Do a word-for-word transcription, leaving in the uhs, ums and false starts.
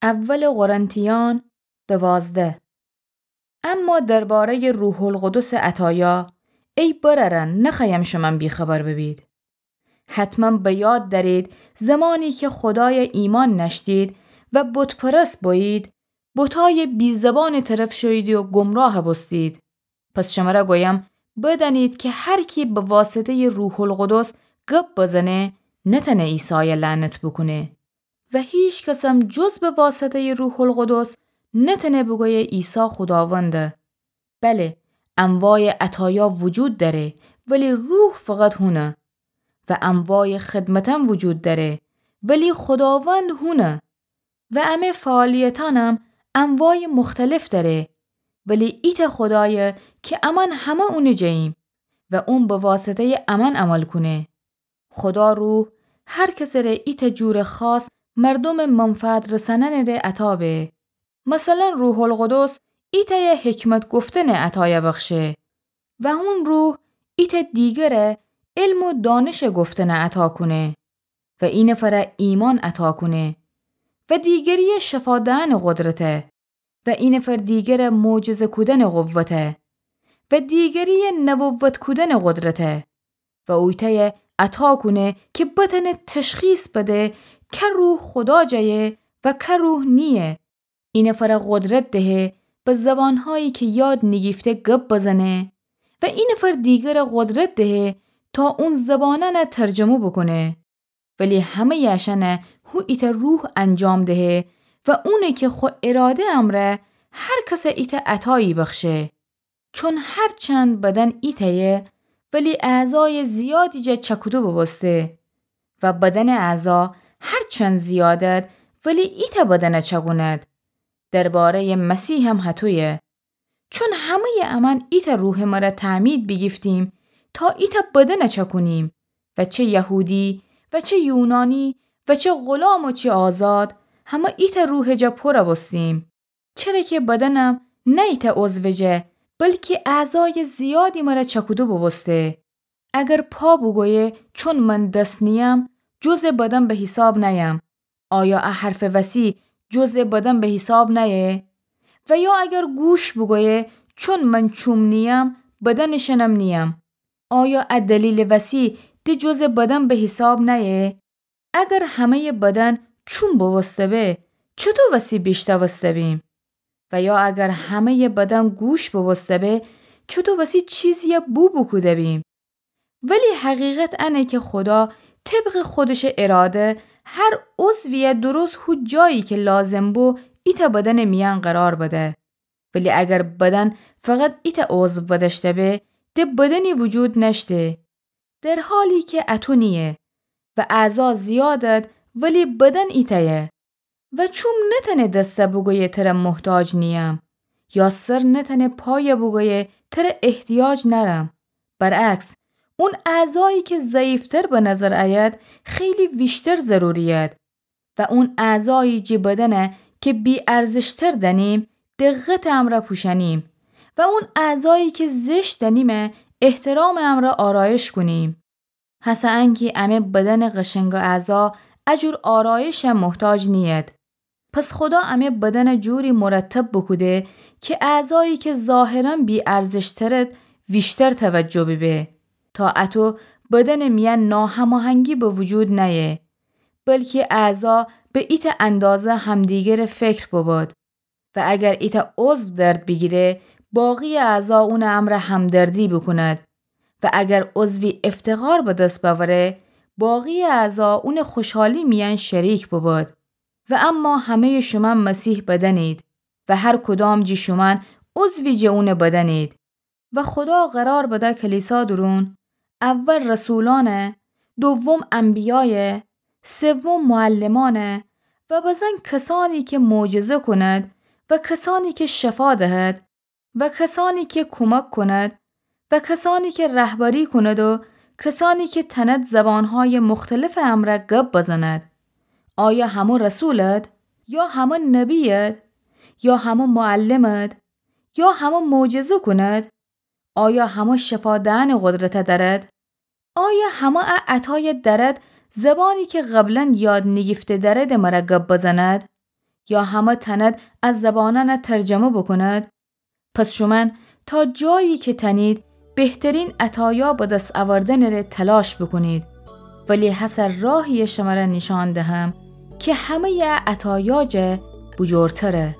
اول قرنتیان دوازده. اما دربارهٔ روح‌القدس عطایا، ای برأرأن، نخوأیم شمن بی‌خبر ببید. حتماً به یاد دأرید، زمانی که خدای ایمأن نأشتید و بت‌پرست بویید، بتای بی‌زبان طرف شوییدی و گمراه بوستید. پس شمره گویم، بدأنید که هر کی به واسطهٔ روح‌القدس گب بزنه، نتأنه عیسای لعنت بوکونه. و هیچ کسم جز به واسطهٔ روح‌القدس نتأنه بوگویه عیسی خوداونده. بله، انواع عطایا وجود دأره، ولی روح فقط هونه. و انواع خدمتم وجود دأره، ولی خوداوند هونه. و امه فعالیتأنم انواع مختلف دأره، ولی ایتأ خدایه که امأن همه اونٚ جییم و اون به واسطهٔ امأن عمل کونه. خدا روح هر کسٚ ره ایتأ جورٚ خاص مردومٚ منفعت رسأنأنٚ ره عطا به. مثلاً روح‌القدس ایتأیه حکمت گفتنٚ عطایه بخشه و هون روح ایتأ دیگره علم و دانشٚ گفتنه عطا کونه و اینفره ایمأن عطا کونه و دیگریه شفا دئنٚ قدرته و اینفر دیگره معجزه کودنٚ قوته و دیگریه نبوت کودنٚ قدرته و اویتأیه عطا کونه که بتأنه تشخیص بده که روح خدا جایه و که روح نییه. اینفره قدرت دهه به زبانهایی که یاد نیگیفته گب بزنه و اینفر دیگره قدرت دهه تا اون زبانأنه ترجمه بوکونه. ولی همهٔ اشأنه هو ایتأ روح انجام دهه و اونه که خو اراده امرأ هر کسه ایتأ عطایی بخشه. چون هرچند بدن ایتأیه، ولی اعضای زیادی جا چکودو بوبوسته و بدنٚ اعضا هرچند زیادد، ولی ایتأ بدنه چکوند. دربارهٔ مسیحم هطویه. چون همهٔ امأن ایتأ روحٚ مره تعمید بیگیفتیم تا ایتأ بدنه چکونیم و چه یهودی و چه یونانی و چه غلام و چه آزاد، همه ایتأ روحٚ جا پورَ بوستیم. چره که بدنم نه ایتأ عضوٚ جا، بلکی اعضای زیادی مره چکودو بوبوسته. اگر پا بوگویه چون من دس نییم، جزء بدن به حیساب نأیم، آیا ا حرفٚ وسی جزء بدن به حیساب نأیه؟ و یا اگر گوش بوگویه چون من چوم نییم، بدنٚ شأنم نییم، آیا ا دلیلٚ وسی د جزء بدن به حیساب نأیه؟ اگر همهٔ بدن چوم بوبوسته به، چطو وسی بیشتوسته بیم؟ و یا اگر همهٔ بدن گوش بوبوسته به، چطو وسی چیزیی بو بوکوده بیم؟ ولی حقیقت انه که خدا طبقٚ خودشٚ اراده هر عضویی درست هو جایی که لازم بو ایتأ بدنٚ میأن قرار بده. ولی اگر بدن فقط ایتأ عضو بدأشته به، د بدنی وجود نأشته. در حالی که اطو نییه و اعضا زیادد، ولی بدن ایتأیه. و چوم نتأنه دسته بوگویه تره محتاج نییم، یا سر نتأنه پایه بوگویه تره احتیاج نأرم. برعکس، اون اعضایی که ضعیفتر به نظر ایید، خیلی ویشتر ضروریید. و اون اعضایی جٚه بدنه که بی‌ارزشتر دأنیم، دقتٚ امرأ پوشأنیم و اون اعضایی که زشت دأنیمه، احترامٚ امرأ آرایش کونیم. هسه انکی امه بدنٚ قشنگٚ اعضا ا جور آرایشه محتاج نیید. پس خدا امه بدنه جوری مرتب بوکوده که اعضایی که ظاهراً بی‌ارزشترد ویشتر توجه بیبه، تا اطو بدنٚ میأن ناهماهنگی به وجود نأیه، بلکی اعضا به ایتأ اندازه همدیگره فکر ببد. و اگر ایتأ عضو درد بیگیره، باقی‌یٚ اعضا اونٚ امرأ همدردی بوکوند. و اگر عضوی افتقار به دس بأوره، باقی‌یٚ اعضا اونٚ خوشحالی میأن شریک ببد. و اما همه‌یٚ شومأن مسیح بدنید و هر کدام جٚه شومأن عضوی جٚه اونٚ بدنید. و خدا قرار بده کلیسا دورون، اول رسولأنه، دوم انبیایه، سوم معلمأنه و بزن کسانی که معجزه کند و کسانی که شفا دهد و کسانی که کمک کند و کسانی که رهبری کند و کسانی که تند زبانهای مختلفٚ امرأ گب بزند. آیا همه رسولد؟ یا همه نبیید؟ یا همه معلمد؟ یا همه معجزه کند؟ آیا همه شفا دهنٚ قدرته دأرد؟ آیا همه ا عطایه دأرد زبانی که قبلاً یاد نیگیفته دأردٚ مره گب بزند؟ یا همه تأنید ا زبانأنَ ترجمه بوکوند؟ پس شومأن تا جایی که تأنید بهترین عطایا به دس اوردنٚره تلاش بوکونید، ولی هسه راهیی شمره نیشأن دهم که همه‌یٚ عطایا جا بوجورتره.